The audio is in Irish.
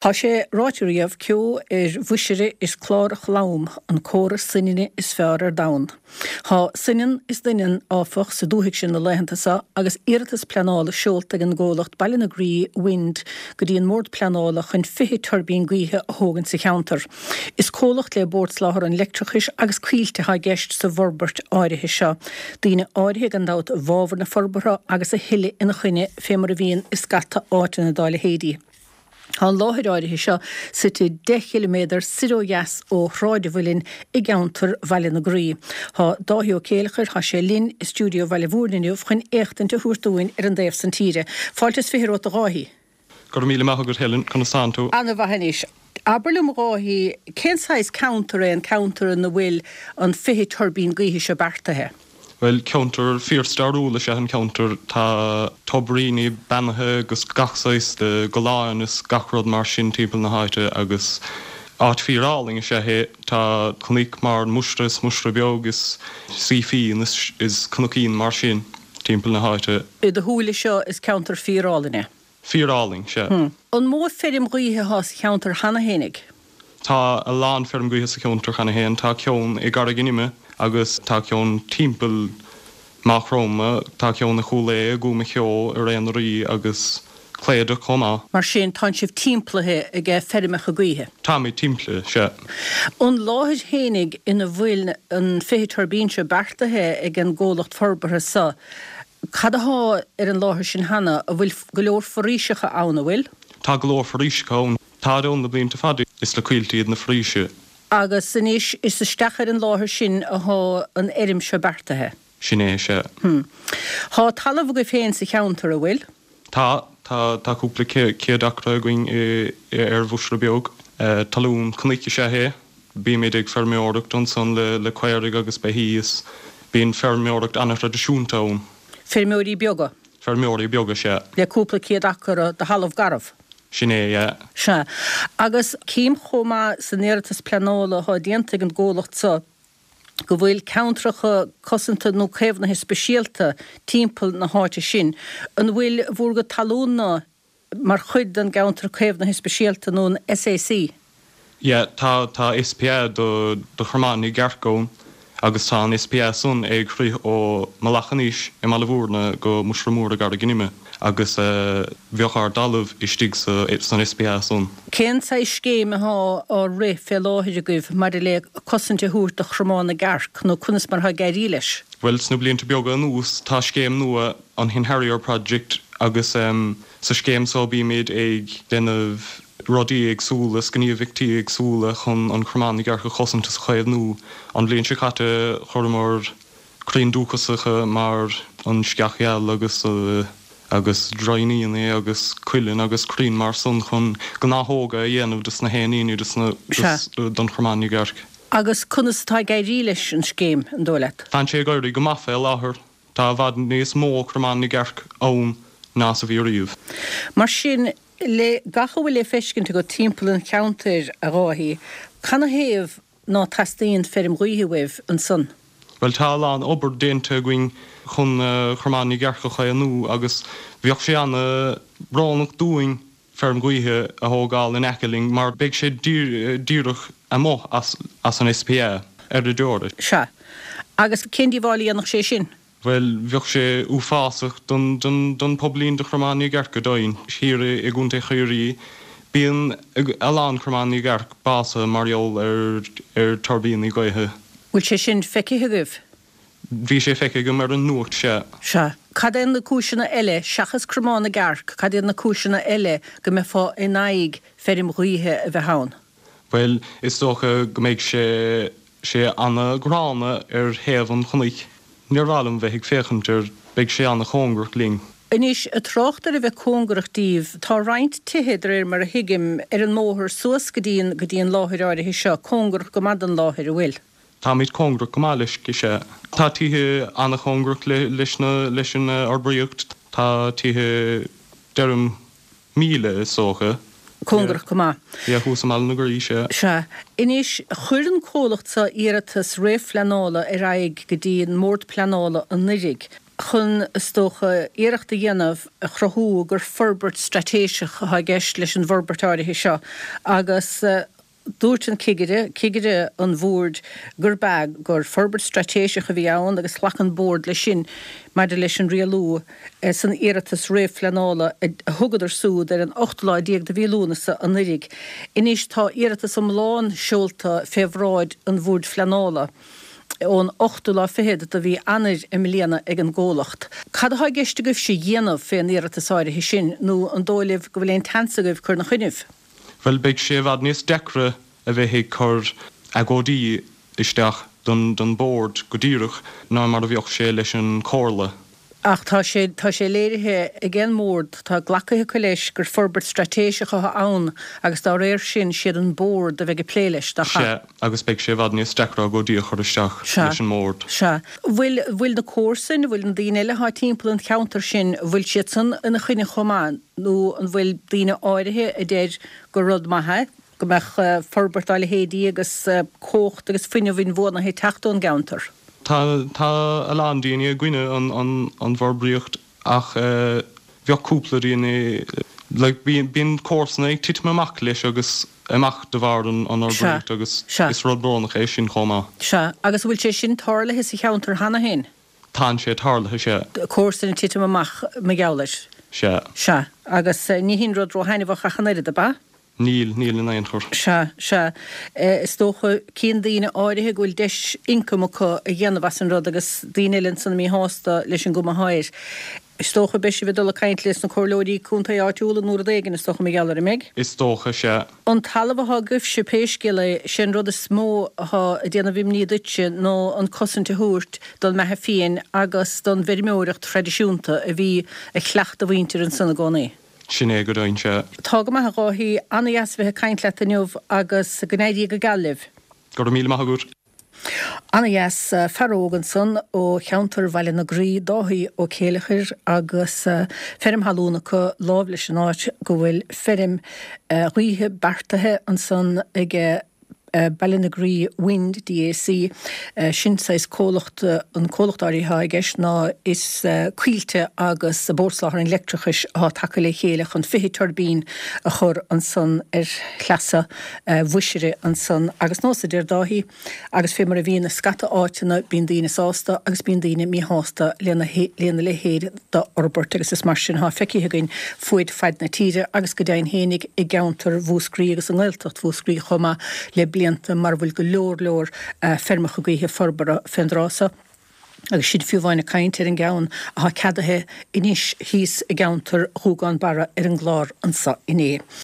Tá sé ráite riamh, ceo ar Mhuisire is clárach lom an comhartha soininne is fearr ar domhan. Tá soineann is doineann, áfach, sa dúthaigh sin na laethanta seo agus iarratas pleanála seolta ag an gcomhlacht Ballinagree Wind go dtí an mBord Pleanála chun 20 tuirbín gaoithe a thógaint sa cheantar. Is comhlacht le Bord Soláthair an Leictreachais agus Coillte atá i gceist sa bhforbairt áirithe seo. Daoine áirithe gan dabht i bhfabhar na forbartha agus a thuilleadh ina choinne fé mar a bhíonn i scata áiteanna dá leithéidí. Tá an láthair áirithe seo suite 10 chiliméadar soir ó dheas ó Shráid an Mhuilinn i gceantar Bhaile na Graí. Tá Dáithí Ó Céileachair, tá sé linn i stiúideo Bhaile Mhúirne inniu chun éachtaint a thabhairt dúinn ar an dtaobh san tíre. Fáilte is 20 romhat a Dháithí. Go raibh míle maith agat Helen, conas tánn tú? Ana-mhaith anois. Abair liom a Dháithí, cén saghas ceantar é an ceantar ina bhfuil an 20 tuirbín gaoithe seo beartaithe? Bhuel, ceantar fíor-stairiúil is ea an ceantar. Tá tobairíní beannaithe agus gach saghas de golláin is gach rud mar sin timpeall na háite agus áit fíor-álainn is ea é. Tá cnoic mar Mhuisire is Muisire Beag is Seefeen is cnoicín mar sin timpeall na háite. I do shúile seo is ceantar fíor-álainn é. Fíor-álainn, sea. An mó feirm ghaoithe atá sa cheantar cheana fhéinig? Tá a lán feirm gaoithe sa cheantar cheana féin. Tá ceann i gCarraig an Ime agus tá ceann timpeall Maigh Chromtha, tá ceann i Chúil Aodha, i gCúm a' Cheo, i Ré na Rí agus Cléideach chomh maith. Mar sin, tánn sibh timplaithe ag feirmeacha gaoithe? Táimid timplaithe, sea. An láthair fhéinig ina bhfuil an 20 tuirbín seo beartaithe ag an gcomhlacht forbartha seo, Cad athá ar an láthair sin cheana? An bhfuil go leor foraoiseacha ann, an bhfuil? Tá go leor foraoiseacha ann. Táid ann le blianta fada. Is le coillte iad na foraoise. Agus anois is isteach ar an láthair sin athá an fheirm seo beartaithe. Sin é, sea. Hm. Thá talamh agaibh féin sa cheantar, an bhfuil? Tá. Tá, tá cúpla céad acra againn i, ar Mhuisire Beag. Talún cnoic is ea é. Bímid ag feirmeoireacht ansan le caoirigh agus beithígh is bíonn feirmeoireacht ana-thraidisiúnta ann. Feirmeoirí beaga. Feirmeoirí beaga, sea. Le cúpla céad acra de thalamh garbh. Sin é, yeah. Sea. Agus cím chomh maith san iarratas pleanála atá déanta ag an gcomhlacht seo go bhfuil ceantracha cosanta nó caomhnaithe speisialta timpeall na háite sin. An bhfuil bhur gcuid talún-na mar chuid den gceantar caomhnaithe speisialta nó an SAC. Yeah, tá, tá SPA do, do Chromán na gCearc ann agus tá an SPA san ag rith ó Mullach an Eich i mBaile Mhúirne go Muisire Mór i gCarraig an Ime agus bheadh ár dtalamh istigh sa, san SPA san. Cén saghas scéim athá á rith fé láthair agaibh maidir le cosaint a thabhairt do Chromán na gCearc nó conas mar atá ag éirí leis? Bhuel, sna blianta beaga anuas tá scéim nua, an Hen Harrier Project agus sa scéim so bímid ag déanamh rudaí éagsúla is gníomhaíochtaí éagsúla chun an Cromán na gCearc a chosaint is a chaomhnú. An bhliain seo caite chuireamar crainn dúchasacha mar an sceach gheal agus agus droighníní agus cuileann agus crainn mar san chun gnáthóga a dhéanamh dos na héiníní dos na don Chromán na gCearc. Agus conas atá ag éirí leis an scéim, an dóigh leat? Tánn sé ag éirí go maith fé láthair. Tá i bhfad níos mó cromán na gcearc ann ná is a bhí riamh. Mar sin, le gach a bhfuil le feiscint agat timpeall an cheantair, a Dháithí, canathaobh ná teastaíonn feirm ghaoithe uaibh ansan? Bhuel, tá a lán obair déanta againn chun cromán na gcearc a chaomhnú agus bheadh sé ana-bhrónach dúinn feirm ghaoithe a thógáil in aice linn mar beidh sé díreach amuigh as an SPA ar deireadh. Sea. Agus cén díobháil a dhéanfadh sé sin? Bhuel, bheadh sé uafásach don pobailín de Chromán na gCearc go deimhin. Thiar i gContae Chiarraí, bíonn a lán Cromán na gCearc básaithe mar gheall ar tuirbíní gaoithe. Bhfuil sé sin feicthe agaibh? Bhí sé feicthe agam ar an nuacht, sea. Sea. Cad é na cúiseanna eile, seachas Cromán na gCearc, cad iad na cúiseanna eile go mbeifeá in aghaidh feirm ghaoithe a bheith ann? Bhuel, is dócha go mbeidh sé, sé ana-ghránna ar thaobh an chnoic. Níor mhaith liom bheith ag féachaint air, beidh sé ana-chóngarach linn. Anois, ag trácht ar a bheith cóngarach díbh, tá roinnt tithe, de réir mar a thuigim, ar an mbóthar suas go dtí an, go dtí an láthair áirithe seo, cóngarach go maith don láthair, an bhfuil? Táimid cóngarach go maith leis, sea. Tá tithe an-chóngarach leis na, leis an fhorbraíocht. Tá tithe, deirim, míle is dócha. Cóngarach go maith. Yeah, thuas i mBaile na Graí, sea. Sea. Anois, chuir an comhlacht seo iarratas réamhphleanála ar aghaidh go dtí an mBord Pleanála anuiridh. chun, is dócha, iarracht a dhéanamh a chruthú gur forbairt straitéiseach atá i gceist leis an bhforbairt áirithe seo agus dúirt an cigire, cigire an bhoird, gurb ea, gur forbairt straitéiseach a bhí ann agus ghlac an Bord leis sin maidir leis an rialú san iarratas réamhphleanála a thugadar súd ar an ochtú lá déag de mhí Lúnasa anuiridh. Anois tá iarratas iomlán seolta fé bhráid an Bhoird Phleanála ón ochtú lá fichead de mhí Eanáir i mbliana ag an gcomhlacht. Cad atá i gceist agaibhse a dhéanamh fén iarratas áirithe sin nó an dóigh libh go bhfuil aon tseans agaibh cur 'na choinnibh? Bhuel, beidh sé i bhfad níos deacra a bheith ag cur agóidí isteach don Bhord go díreach ná mar a bheadh sé leis an Chomhairle. Ach tá sé, tá sé léirithe ag an mBord, tá glactha acu leis gur forbairt straitéiseach atá ann agus dá réir sin, siad an Bord a bheidh ag plé leis, nach ea? Sea, agus beidh sé i bhfad níos deacra agóidí a chur isteach leis an mBord. Sea. Bhfuil, bhfuil na comharsain, bhfuil na daoine eile atá timpeall an cheantair sin, bhfuil siad san ina choinne chomh maith nó an bhfuil daoine áirithe a deir gur rud maith é go mbeadh forbairt dá leithéidí agus cumhacht agus fuinneamh inbhuanaithe ag teacht ón gceantar? Tá, tá a lán daoine i gcoinne an, an, an bhforbraíocht ach bheadh cúpla daoine, like, bíonn, bíonn comharsana ag titim amach leis agus amach de bharr an, an fhorbraíocht agus is rud brónach é sin chomh maith. Sea. Agus an bhfuil sé sin tarlaithe sa cheantar cheana féin? Tánn sé tarlaithe, sea. Comharsain ag titim amach mar gheall air. Sea. Sea. Agus ní hin rud róthaitneamhach ach an oiread, ab ea? Níl, níl in aon chor. Sea, sea. Is dócha, cíonn daoine áirithe go bhfuil deis ioncaim acu a dhéanamh as an rud agus daoine eile ansan míshásta leis an gcuma athá air. Is dócha, beidh sibh ag dul ag caint leis na comhairleoirí contae áitiúla nó rud éigin, is dócha, mar gheall air, an mbeidh? Is dócha, sea. An talamh athá agaibhse, pé scéal é, sé an rud is mó athá ag déanamh imní duitse ná an cosaint a thabhairt don mbeatha fiain agus don bhfeirmeoireacht thraidisiúnta a bhí a chleacht a mhuintir ansan i gcónaí. Sin é go deimhin, sea. Tá go maith, a Dháithí. Ana-dheas a bheith ag caint leat inniu agus go n-éirí go geal libh. Go raibh míle maith agat. Ana-dheas. Fear óg ansan ó cheantar Bhaile na Graí, Dáithí Ó Céileachair, agus feirm thalún acu láimh leis an áit go bhfuil feirm ghaoithe beartaithe ansan aige Ballinagree Wind DAC, sin saghas comhlacht, an comhlacht áirithe atá i gceist ná is Coillte agus Bord Soláthair an Leictreachais atá tagtha le chéile chun 20 tuirbín a chur ansan ar shleasa Mhuisire ansan agus nós a deir Dáithí, Agus fé mar a bhíonn i scata áiteanna, bíonn daoine sásta agus bíonn daoine míshásta lena leithéid d'fhorbairt agus is mar sin atá feicthe againn fuaid faid na tíre agus go deimhin fhéinig i gceantar Mhúscraí agus i nGaeltacht Mhúscraí chomh maith le blianta mar a bhfuil go leor leor feirmeacha gaoithe forbartha fén dtráth so. Agus sinn fiú amháin ag caint ar an gceann atá ceadaithe anois thíos i gceantar Ghúgán Barra ar an gclár anso inné.